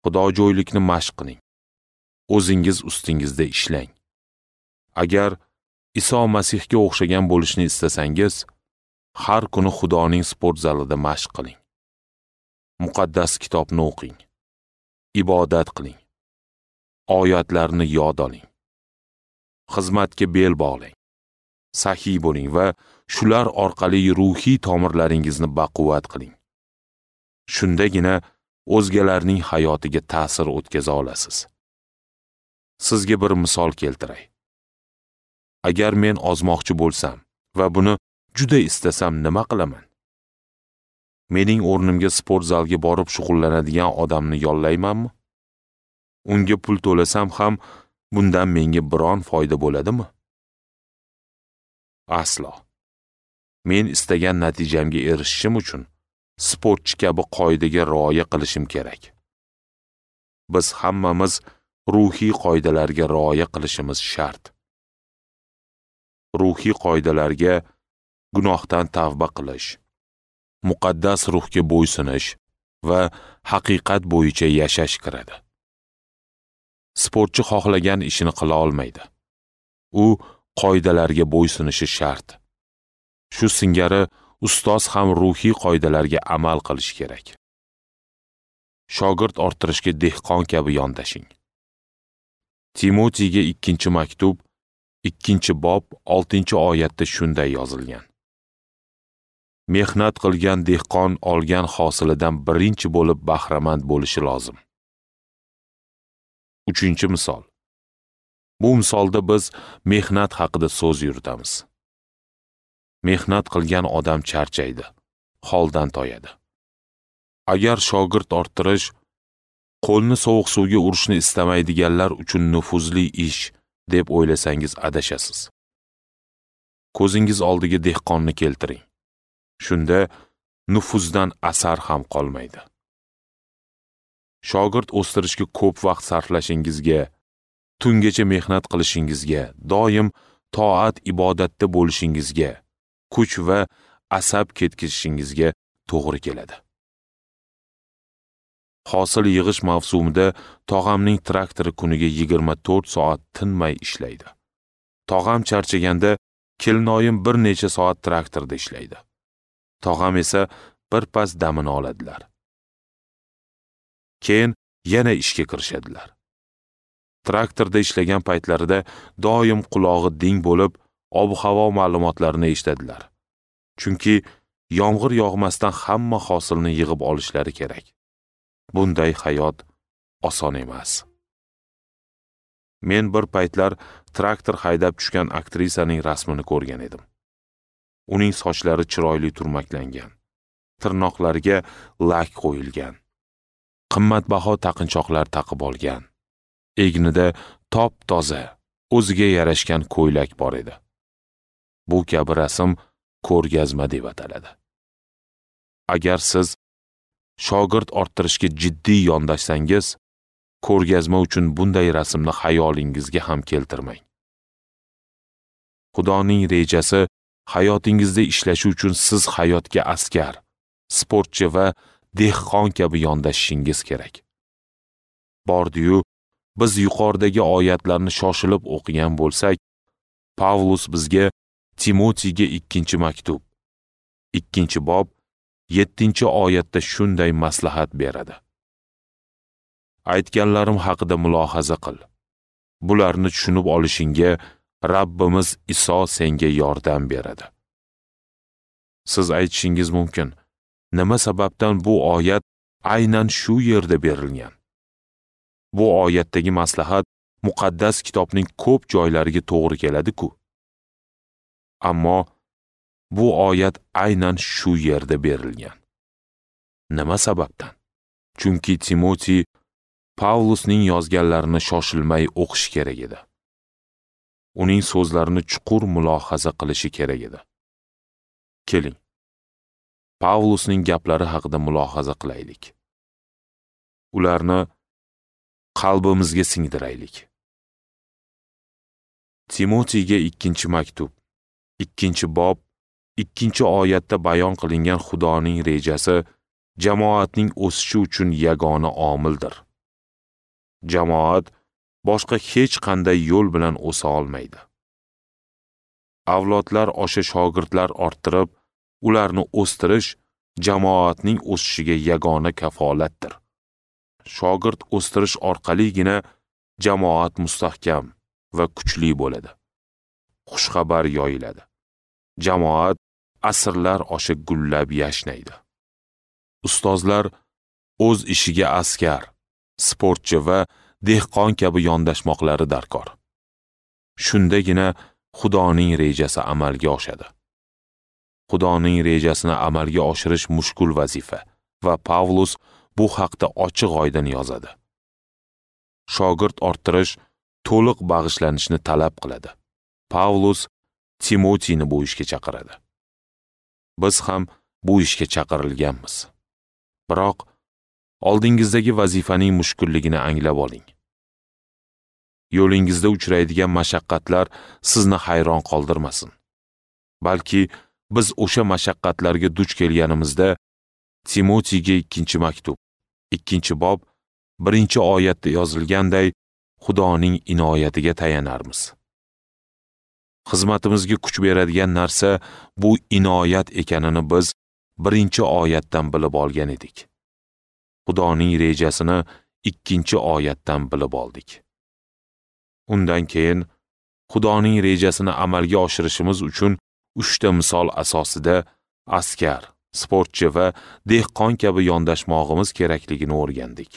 Xudojo'ylikni mashq qiling. O'zingiz ustingizda ishlang. Agar Iso Masihga o'xshagan bo'lishni istasangiz, har kuni Xudoning sport zalida mashq qiling. Muqaddas kitobni o'qing. Ibodat qiling. Oyatlarni yod oling. Xizmatga bel bog'lang. Saxiy bo'ling va shular orqali ruhiy tomirlaringizni baquvvat qiling. Shundagina o'zgalarning hayotiga ta'sir o'tkaza olasiz. Sizga bir misol keltiray. Agar men ozmoqchi bo'lsam va buni juda istasam nima qilaman? Mening o'rnimga sport zalga borib shug'ullanadigan odamni yollaymanmi? Unga pul to'lasam ham bundan menga biron foyda bo'ladimi? Aslo. Men istagan natijamga erishishim uchun sportchi kabi qoidaga rioya qilishim kerak. Biz hammamiz ruhiy qoidalarga rioya qilishimiz shart. Ruhiy qoidalarga gunohdan tavba qilish, muqaddas ruhga bo'ysunish va haqiqat bo'yicha yashash kiradi. Sportchi xohlagan ishini qila olmaydi. U qoidalarga bo'ysunishi shart. Shu singari ustoz ham ruhiy qoidalarga amal qilishi kerak. Shogird orttirishga dehqon kabi yondashing. Timotiyga 2-maktub, 2-bob, 6-oyatda shunday yozilgan. Mehnat qilgan dehqon olgan hosilidan birinchi bo'lib bahramand bo'lishi lozim. 3-misol. Bu misolda biz mehnat haqida so'z yuritamiz. Mehnat qilgan odam charchaydi, holdan toyadi. Agar shogird orttirish qo'lni sovuq suvga urishni istamaydiganlar uchun nufuzli ish deb o'ylasangiz adashasiz. Ko'zingiz oldiga dehqonni keltiring. Shunda nufuzdan asar ham qolmaydi. Shogird o'stirishga ko'p vaqt sarflashingizga, tungacha mehnat qilishingizga, doim toat ibodatda bo'lishingizga, kuch va asab ketkizishingizga to'g'ri keladi. Hosil yig'ish mavsumida tog'amning traktori kuniga 24 soat tinmay ishlaydi. Tog'am charchaganda kelinoyim bir necha soat traktorda ishlaydi. Tog'am esa birpas damini oladilar. Keyin yana ishga kirishadilar. Traktorda ishlagan paytlarida doim qulog'i ding bo'lib, ob-havo ma'lumotlarini eshitadilar. Chunki yomg'ir yog'masdan hamma hosilni yig'ib olishlari kerak. Bunday hayot oson emas. Men bir paytlar traktor haydab tushgan aktrisaning rasmini ko'rgan edim. Uning sochlari chiroyli turmaklangan, tirnoqlariga lak qo'yilgan, qimmatbaho taqinchoqlar taqib olgan. Egnida top-toza, o'ziga yarashgan ko'ylak bor edi. Bu kabi rasm ko'rgazma deb ataladi. Agar siz shogird orttirishga jiddiy yondashsangiz, ko'rgazma uchun bunday rasmni xayolingizga ham keltirmang. Xudoning rejasi hayotingizda ishlashi uchun siz hayotga askar, sportchi va dehqon kabi yondashishingiz kerak. Bordi-yu, biz yuqoridagi oyatlarni shoshilib o'qigan bo'lsak, Pavlus bizga Timotiyga 2-maktub, 2-bob, 7-oyatda shunday maslahat beradi. Aytganlarim haqida mulohaza qil. Bularni tushunib olishingga Rabbimiz Iso senga yordam beradi. Siz aytishingiz mumkin, nima sababdan bu oyat aynan shu yerda berilgan? Bu oyatdagi maslahat muqaddas kitobning ko'p joylariga to'g'ri keladi-ku. Ammo bu oyat aynan shu yerda berilgan. Nima sababdan? Chunki Timoti Pavlusning yozganlarini shoshilmay o'qish kerak edi. Uning so'zlarini chuqur mulohaza qilishi kerak edi. Keling, Pavlusning gaplari haqida mulohaza qilaylik. Ularni qalbimizga singdiraylik. Timotiyga 2-maktub, 2-bob, 2-oyatda bayon qilingan Xudoning rejasi jamoatning o'sishi uchun yagona omildir. Jamoat boshqa hech qanday yo'l bilan o'sa olmaydi. Avlodlar osha shogirdlar orttirib, ularni o'stirish jamoatning o'sishiga yagona kafolatdir. Shogird o'stirish orqaligina jamoat mustahkam va kuchli bo'ladi. Xushxabar yoyiladi. Jamoat asrlar osha gullab yashnaydi. Ustozlar o'z ishiga askar, sportchi va dehqon kabi yondashmoqlari darkor. Shundagina Xudoning rejasi amalga oshadi. Xudoning rejasini amalga oshirish mushkul vazifa va Pavlus bu haqda ochiq-oydin yozadi. Shogird orttirish to'liq bag'ishlanishni talab qiladi. Pavlus Timotiyni bu ishga chaqiradi. Biz ham bu ishga chaqirilganmiz. Biroq oldingizdagi vazifaning mushkulligini anglab oling. Yo'lingizda uchraydigan mashaqqatlar sizni hayron qoldirmasin. Balki biz o'sha mashaqqatlarga duch kelganimizda Timotiyga 2-maktub, 2-bob, 1-oyatda yozilganday Xudoning inoyatiga tayanarmiz. Xizmatimizga kuch beradigan narsa bu inoyat ekanini biz 1-oyatdan bilib olgan edik. Xudoning rejasini 2-oyatdan bilib oldik. Undan keyin Xudoning rejasini amalga oshirishimiz uchun 3 ta misol asosida askar, sportchi va dehqon kabi yondashmog'imiz kerakligini o'rgandik.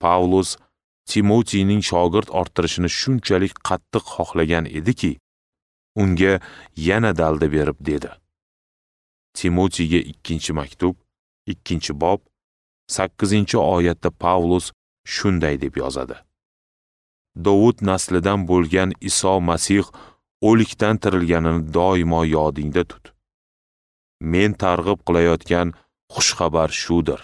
Pavlus Timotiyning shogird orttirishini shunchalik qattiq xohlagan ediki, unga yana dalda berib dedi. Timotiyga 2-maktub, 2-bob, 8-oyatda Pavlus shunday deb yozadi. Dovud naslidan bo'lgan Iso Masih o'likdan tirilganini doimo yodingda tut. Men targ'ib qilayotgan xushxabar shudir.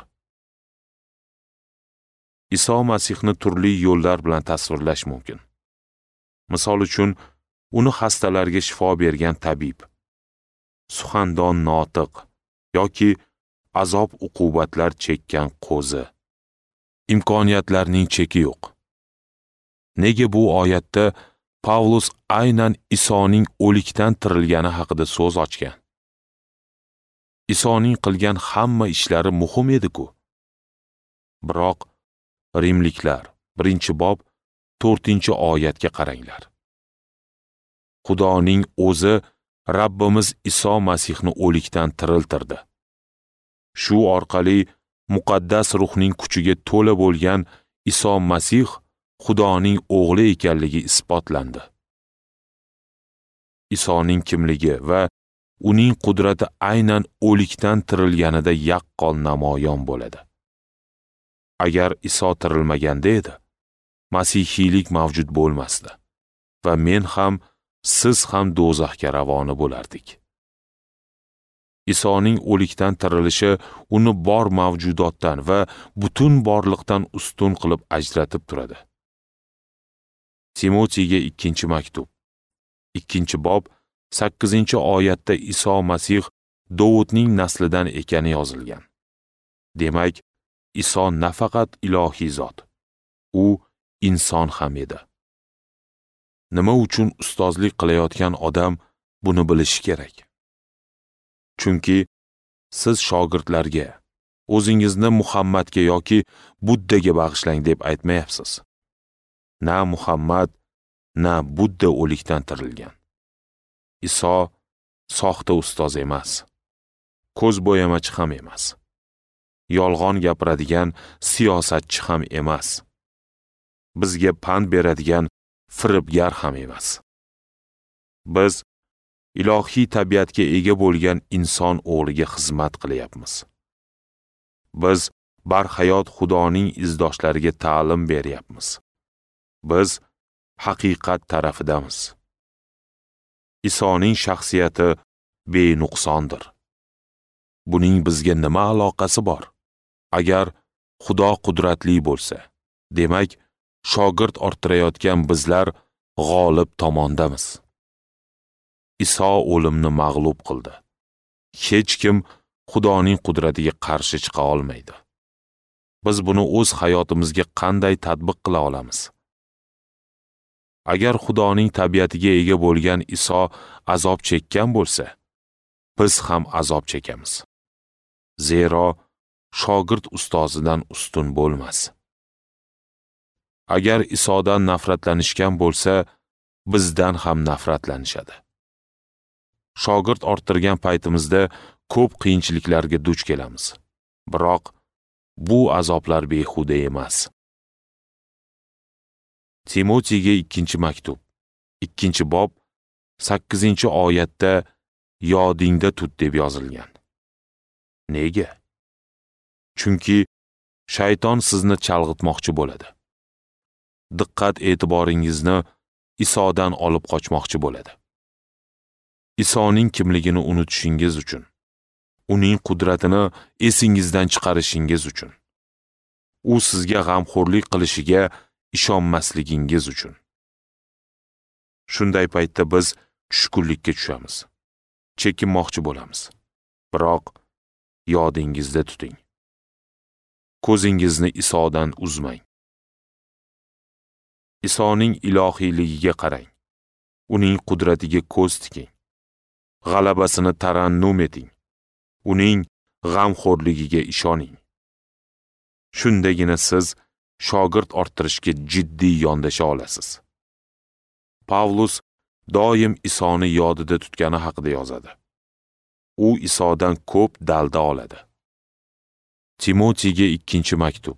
Iso Masihni turli yo'llar bilan tasvirlash mumkin. Misol uchun, uni xastalarga shifo bergan tabib, suxandon notiq yoki azob-uqubatlar chekkan qo'zi. Imkoniyatlarning cheki yo'q. Nega bu oyatda Pavlus aynan Isoning o'likdan tirilgani haqida so'z ochgan? Isoning qilgan hamma ishlari muhim edi-ku. Biroq Rimliklar 1-bob 4-oyatga qaranglar. Xudoning o'zi Rabbimiz Iso Masihni o'likdan tiriltirdi. Shu orqali muqaddas ruhning kuchiga to'la bo'lgan Iso Masih Xudoning o'g'li ekanligi isbotlandi. Isoning kimligi va uning qudrati aynan o'likdan tirilganida yaqqol namoyon bo'ladi. Agar Iso tirilmaganda edi, masihiylik mavjud bo'lmasdi va men ham, siz ham do'zaxga ravona bo'lardik. Isoning o'likdan tirilishi uni bor mavjudotdan va butun borliqdan ustun qilib ajratib turadi. Timotiyga 2-maktub, 2-bob, 8-oyatda Iso Masih Dovudning naslidan ekani yozilgan. Demak, Iso nafaqat ilohiy zot, u inson ham edi. Nima uchun ustozlik qilayotgan odam buni bilishi kerak? Chunki Siz shogirdlarga o'zingizni Muhammadga yoki Buddaga bag'ishlang deb aytmayapsiz. Na Muhammad, na Budda o'likdan tirilgan. Iso soxta ustoz emas. Ko'z bo'yamachi ham emas. Yolg'on gapiradigan siyosatchi ham emas. Bizga pand beradigan firibgar ham emas. Biz ilohiy tabiatga ega bo'lgan inson o'g'liga xizmat qilyapmiz. Biz barhayot Xudoning izdoshlariga ta'lim beryapmiz. Biz haqiqat tarafidamiz. Isoning shaxsiyati benuqsondir. Buning bizga nima aloqasi bor? Agar Xudo qudratli bo'lsa, demak, shogird orttirayotgan bizlar g'olib tomondamiz. Iso o'limni mag'lub qildi. Hech kim Xudoning qudratiga qarshi chiqa olmaydi. Biz buni o'z hayotimizga qanday tatbiq qila olamiz? Agar Xudoning tabiatiga ega bo'lgan Iso azob chekkan bo'lsa, biz ham azob chekamiz. Zero shogird ustozidan ustun bo'lmas. Agar Isodan nafratlanishgan bo'lsa, bizdan ham nafratlanishadi. Shogird orttirgan paytimizda ko'p qiyinchiliklarga duch kelamiz. Biroq bu azoblar behuda emas. Timotiyga 2-maktub, 2-bob, 8-oyatda yodingda tut deb yozilgan. Nega? Chunki shayton sizni chalg'itmoqchi bo'ladi. Diqqat e'tiboringizni Isodan olib qochmoqchi bo'ladi. Isoning kimligini unutishingiz uchun, uning qudratini esingizdan chiqarishingiz uchun, u sizga g'amxo'rlik qilishiga ishonmasligingiz uchun. Shunday paytda biz tushkunlikka tushamiz, chekinmoqchi bo'lamiz. Biroq yodingizda tuting. Ko'zingizni Isodan uzmang. Isoning ilohiyligiga qarang. Uning qudratiga ko'z tiking. G'alabasini tarannum eting. Uning g'amxo'rligiga ishoning. Shundagina siz shogird orttirishga jiddiy yondasha olasiz. Pavlus doim Isoni yodida tutgani haqida yozadi. U Isodan ko'p dalda oladi. Timotiyga 2-maktub,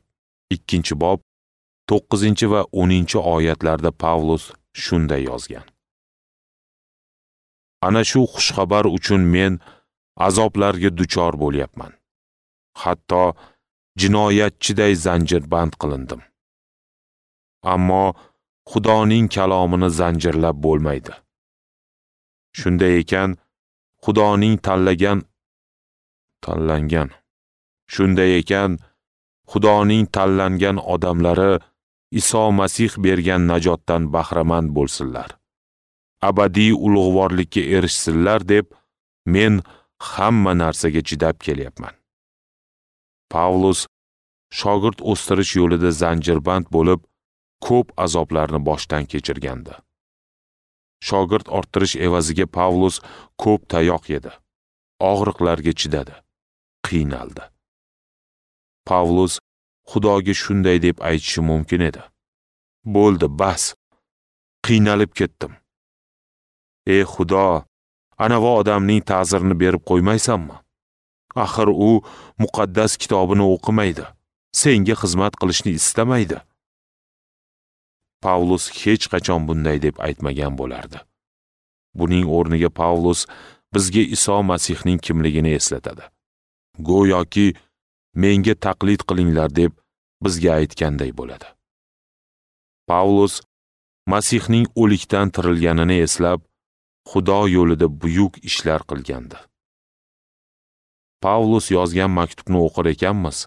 2-bob, 9 va 10 oyatlarda Pavlus shunday yozgan. Ana shu xushxabar uchun men azoblarga duchor bo'lyapman. Hatto jinoyatchiday zanjirband qilindim. Ammo Xudoning kalomini zanjirlab bo'lmaydi. Shunday ekan, Xudoning tanlangan odamlari Iso Masih bergan najotdan bahramand bo'lsinlar. Abadiy ulug'vorlikka erishsinlar deb men hamma narsaga chidab kelyapman. Pavlus shogird o'stirish yo'lida zanjirband bo'lib, ko'p azoblarni boshdan kechirgandi. Shogird orttirish evaziga Pavlus ko'p tayoq yedi, og'riqlarga chidadi, qiynaldi. Pavlus Xudoga shunday deb aytishi mumkin edi: "Bo'ldi, bas. Qiynalib ketdim. Ey Xudo, anavi odamning ta'zirini berib qo'ymaysanmi? Axir u muqaddas kitobini o'qimaydi, senga xizmat qilishni istamaydi." Pavlus hech qachon bunday deb aytmagan bo'lardi. Buning o'rniga Pavlus bizga Iso Masihning kimligini eslatadi. Go'yoki menga taqlid qilinglar deb bizga aytganday bo'ladi. Pavlus Masihning o'likdan tirilganini eslab, Xudo yo'lida buyuk ishlar qilgandi. Pavlus yozgan maktubni o'qir ekanmiz,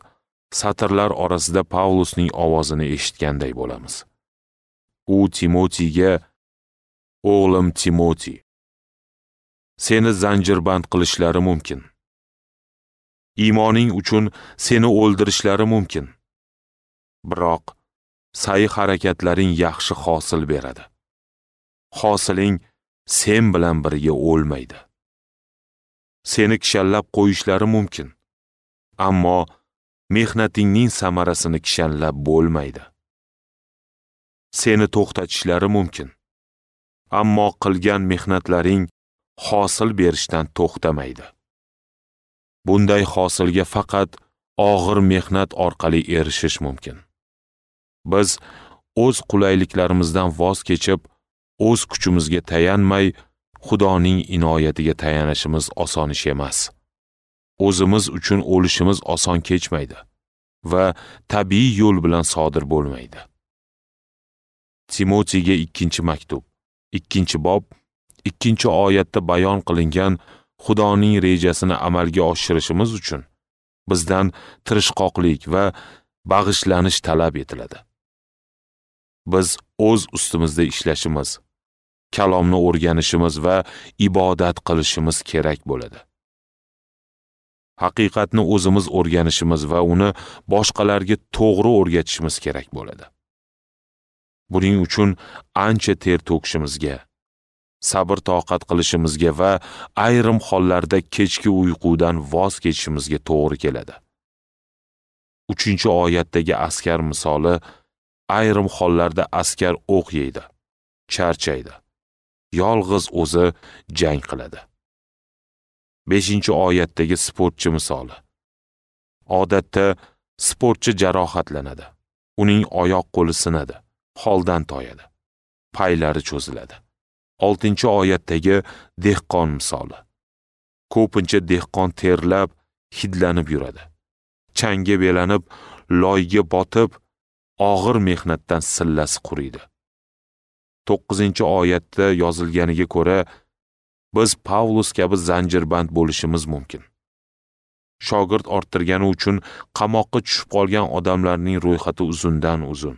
satrlar orasida Pavlusning ovozini eshitganday bo'lamiz. U Timotiyga: "O'g'lim Timoti, seni zanjirband qilishlari mumkin. Iymoning uchun seni o'ldirishlari mumkin. Biroq sa'y harakatlaring yaxshi hosil beradi. Hosiling sen bilan birga o'lmaydi. Seni kishanlab qo'yishlari mumkin, ammo mehnatingning samarasini kishanlab bo'lmaydi. Seni to'xtatishlari mumkin, ammo qilgan mehnatlaring hosil berishdan to'xtamaydi. Bunday hosilga faqat og'ir mehnat orqali erishish mumkin. Biz o'z qulayliklarimizdan voz kechib, o'z kuchimizga tayanmay, Xudoning inoyatiga tayanishimiz oson ish emas. O'zimiz uchun o'lishimiz oson kechmaydi va tabiiy yo'l bilan sodir bo'lmaydi. Timotiyga 2-maktub, 2-bob, 2-oyatda bayon qilingan Xudoning rejasini amalga oshirishimiz uchun bizdan tirishqoqlik va bag'ishlanish talab etiladi. Biz o'z ustimizda ishlashimiz, kalomni o'rganishimiz va ibodat qilishimiz kerak bo'ladi. Haqiqatni o'zimiz o'rganishimiz va uni boshqalarga to'g'ri o'rgatishimiz kerak bo'ladi. Buning uchun ancha ter to'kishimizga, sabr-toqat qilishimizga va ayrim hollarda kechki uyqudan voz kechishimizga to'g'ri keladi. 3-oyatdagi askar misoli, ayrim hollarda askar o'q yeydi, charchaydi, yolg'iz o'zi jang qiladi. 5-oyatdagi sportchi misoli. Odatda sportchi jarohatlanadi, uning oyoq qo'li sinadi, holdan toyadi, paylari cho'ziladi. 6-oyatdagi dehqon misoli. Ko'pincha dehqon terlab, hidlanib yuradi. Changga belanib, loyga botib, og'ir mehnatdan sillasi quriydi. 9-oyatda yozilganiga ko'ra, biz Pavlus kabi zanjirband bo'lishimiz mumkin. Shogird orttirgani uchun qamoqqa tushib qolgan odamlarning ro'yxati uzundan uzun.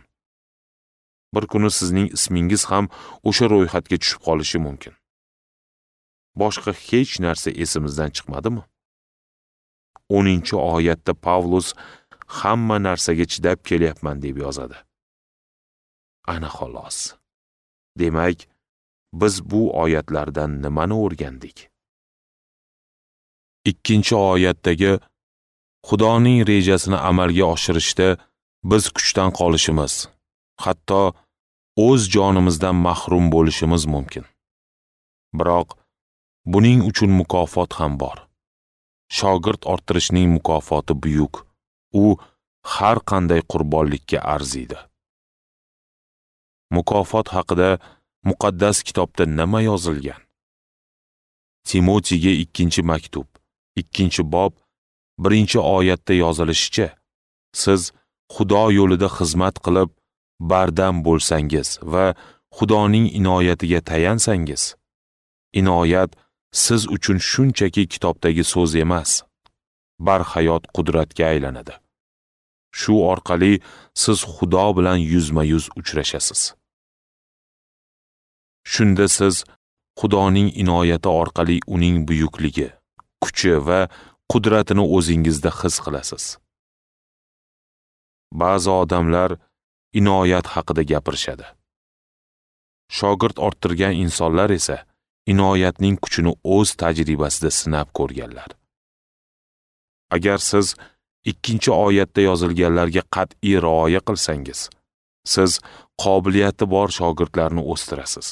Bir kuni sizning ismingiz ham o'sha ro'yxatga tushib qolishi mumkin. Boshqa hech narsa esimizdan chiqmadimi? 10-oyatda Pavlus hamma narsaga chidab kelyapman deb yozadi. Ana xolos. Demak, biz bu oyatlardan nimani o'rgandik? 2-oyatdagi Xudoning rejasini amalga oshirishda biz kuchdan qolishimiz, hatto o'z jonimizdan mahrum bo'lishimiz mumkin. Biroq buning uchun mukofot ham bor. Shogird orttirishning mukofoti buyuk. U har qanday qurbonlikka arziydi. Mukofot haqida muqaddas kitobda nima yozilgan? Timotiyga 2-maktub, 2-bob, 1-oyatda yozilishicha, siz Xudo yo'lida xizmat qilib, bardam bo'lsangiz va Xudoning inoyatiga tayansangiz, inoyat siz uchun shunchaki kitobdagi so'z emas, barhayot qudratga aylanadi. Shu orqali siz Xudo bilan yuzma-yuz uchrashasiz. Shunda siz Xudoning inoyati orqali uning buyukligi, kuchi va qudratini o'zingizda his qilasiz. Ba'zi odamlar inoyat haqida gapirishadi. Shogird orttirgan insonlar esa inoyatning kuchini o'z tajribasida sinab ko'rganlar. Agar siz 2-oyatda yozilganlarga qat'iy rioya qilsangiz, siz qobiliyati bor shogirdlarni o'stirasiz.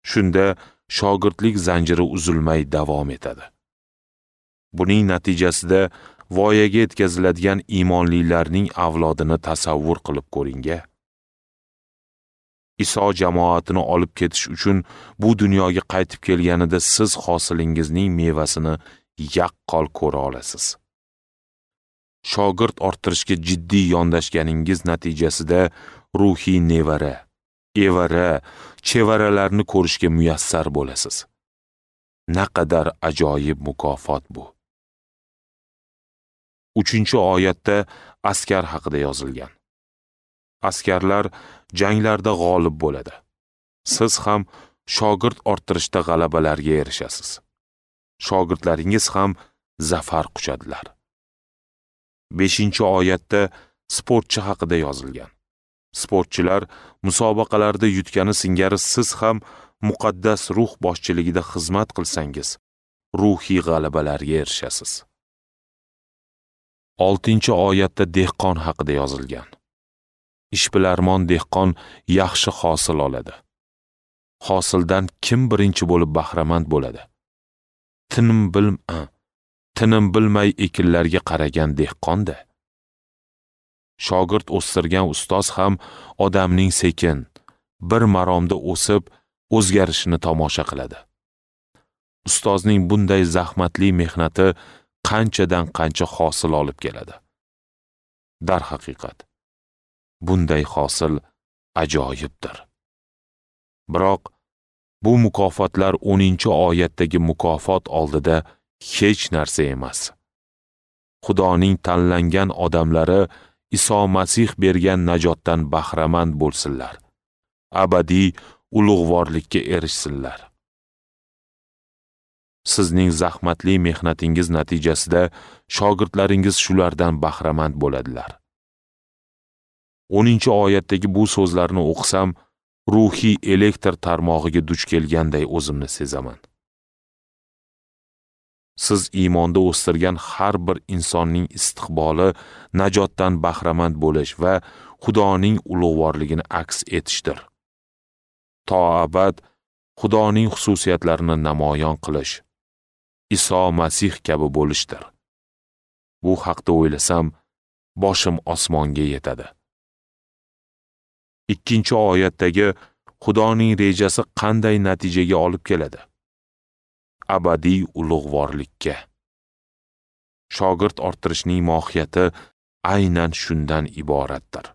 Shunda shogirdlik zanjiri uzilmay davom etadi. Buning natijasida voyaga yetkaziladigan iymonlilarning avlodini tasavvur qilib ko'ring-a. Iso jamoatini olib ketish uchun bu dunyoga qaytib kelganida siz hosilingizning mevasini yaqqol ko'ra olasiz. Shogird orttirishga jiddiy yondashganingiz natijasida ruhiy nevara, evara, chevaralarni ko'rishga muyassar bo'lasiz. Naqadar ajoyib mukofot bu. 3-oyatda askar haqida yozilgan. Askarlar janglarda g'olib bo'ladi. Siz ham shogird orttirishda g'alabalarga erishasiz. Shogirdlaringiz ham zafar quchadilar. 5-oyatda sportchi haqida yozilgan. Sportchilar musobaqalarda yutgani singari siz ham muqaddas ruh boshchiligida xizmat qilsangiz, ruhiy g'alabalarga erishasiz. 6-oyatda dehqon haqida yozilgan. Ishbilarmon dehqon yaxshi hosil oladi. Hosildan kim birinchi bo'lib bahramand bo'ladi? Tinim bilmay ekinlarga qaragan dehqonda. Shogird o'stirgan ustoz ham odamning sekin, bir maromda o'sib, o'zgarishini tomosha qiladi. Ustozning bunday zahmatli mehnati qanchadan qancha hosil olib keladi. Darhaqiqat, bunday hosil ajoyibdir. Biroq bu mukofotlar 10-oyatdagi mukofot oldida hech narsa emas. Xudoning tanlangan odamlari Iso Masih bergan najotdan bahramand bo'lsinlar. Abadiy ulug'vorlikka erishsinlar. Sizning zahmatli mehnatingiz natijasida shogirdlaringiz shulardan bahramand bo'ladilar. 10-oyatdagi bu so'zlarni o'qisam, ruhiy elektr tarmog'iga duch kelganday o'zimni sezaman. Siz iymonda o'stirgan har bir insonning istiqboli najotdan bahramand bo'lish va Xudoning ulug'vorligini aks etishdir. To abad Xudoning xususiyatlarini namoyon qilish, Iso Masih kabi bo'lishdir. Bu haqda o'ylasam, boshim osmonga yetadi. 2-oyatdagi Xudoning rejasi qanday natijaga olib keladi? Abadiy ulug'vorlikka. Shogird orttirishning mohiyati aynan shundan iboratdir.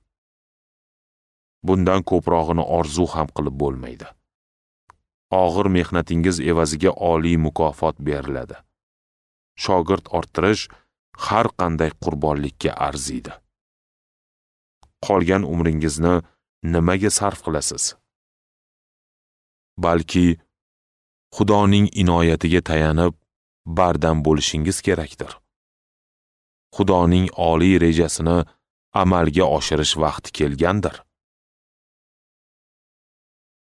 Bundan ko'prog'ini orzu ham qilib bo'lmaydi. Og'ir mehnatingiz evaziga oliy mukofot beriladi. Shogird orttirish har qanday qurbonlikka arziydi. Qolgan umringizni nimaga sarf qilasiz? Balki Xudoning inoyatiga tayanib bardam bo'lishingiz kerakdir. Xudoning oliy rejasini amalga oshirish vaqti kelgandir.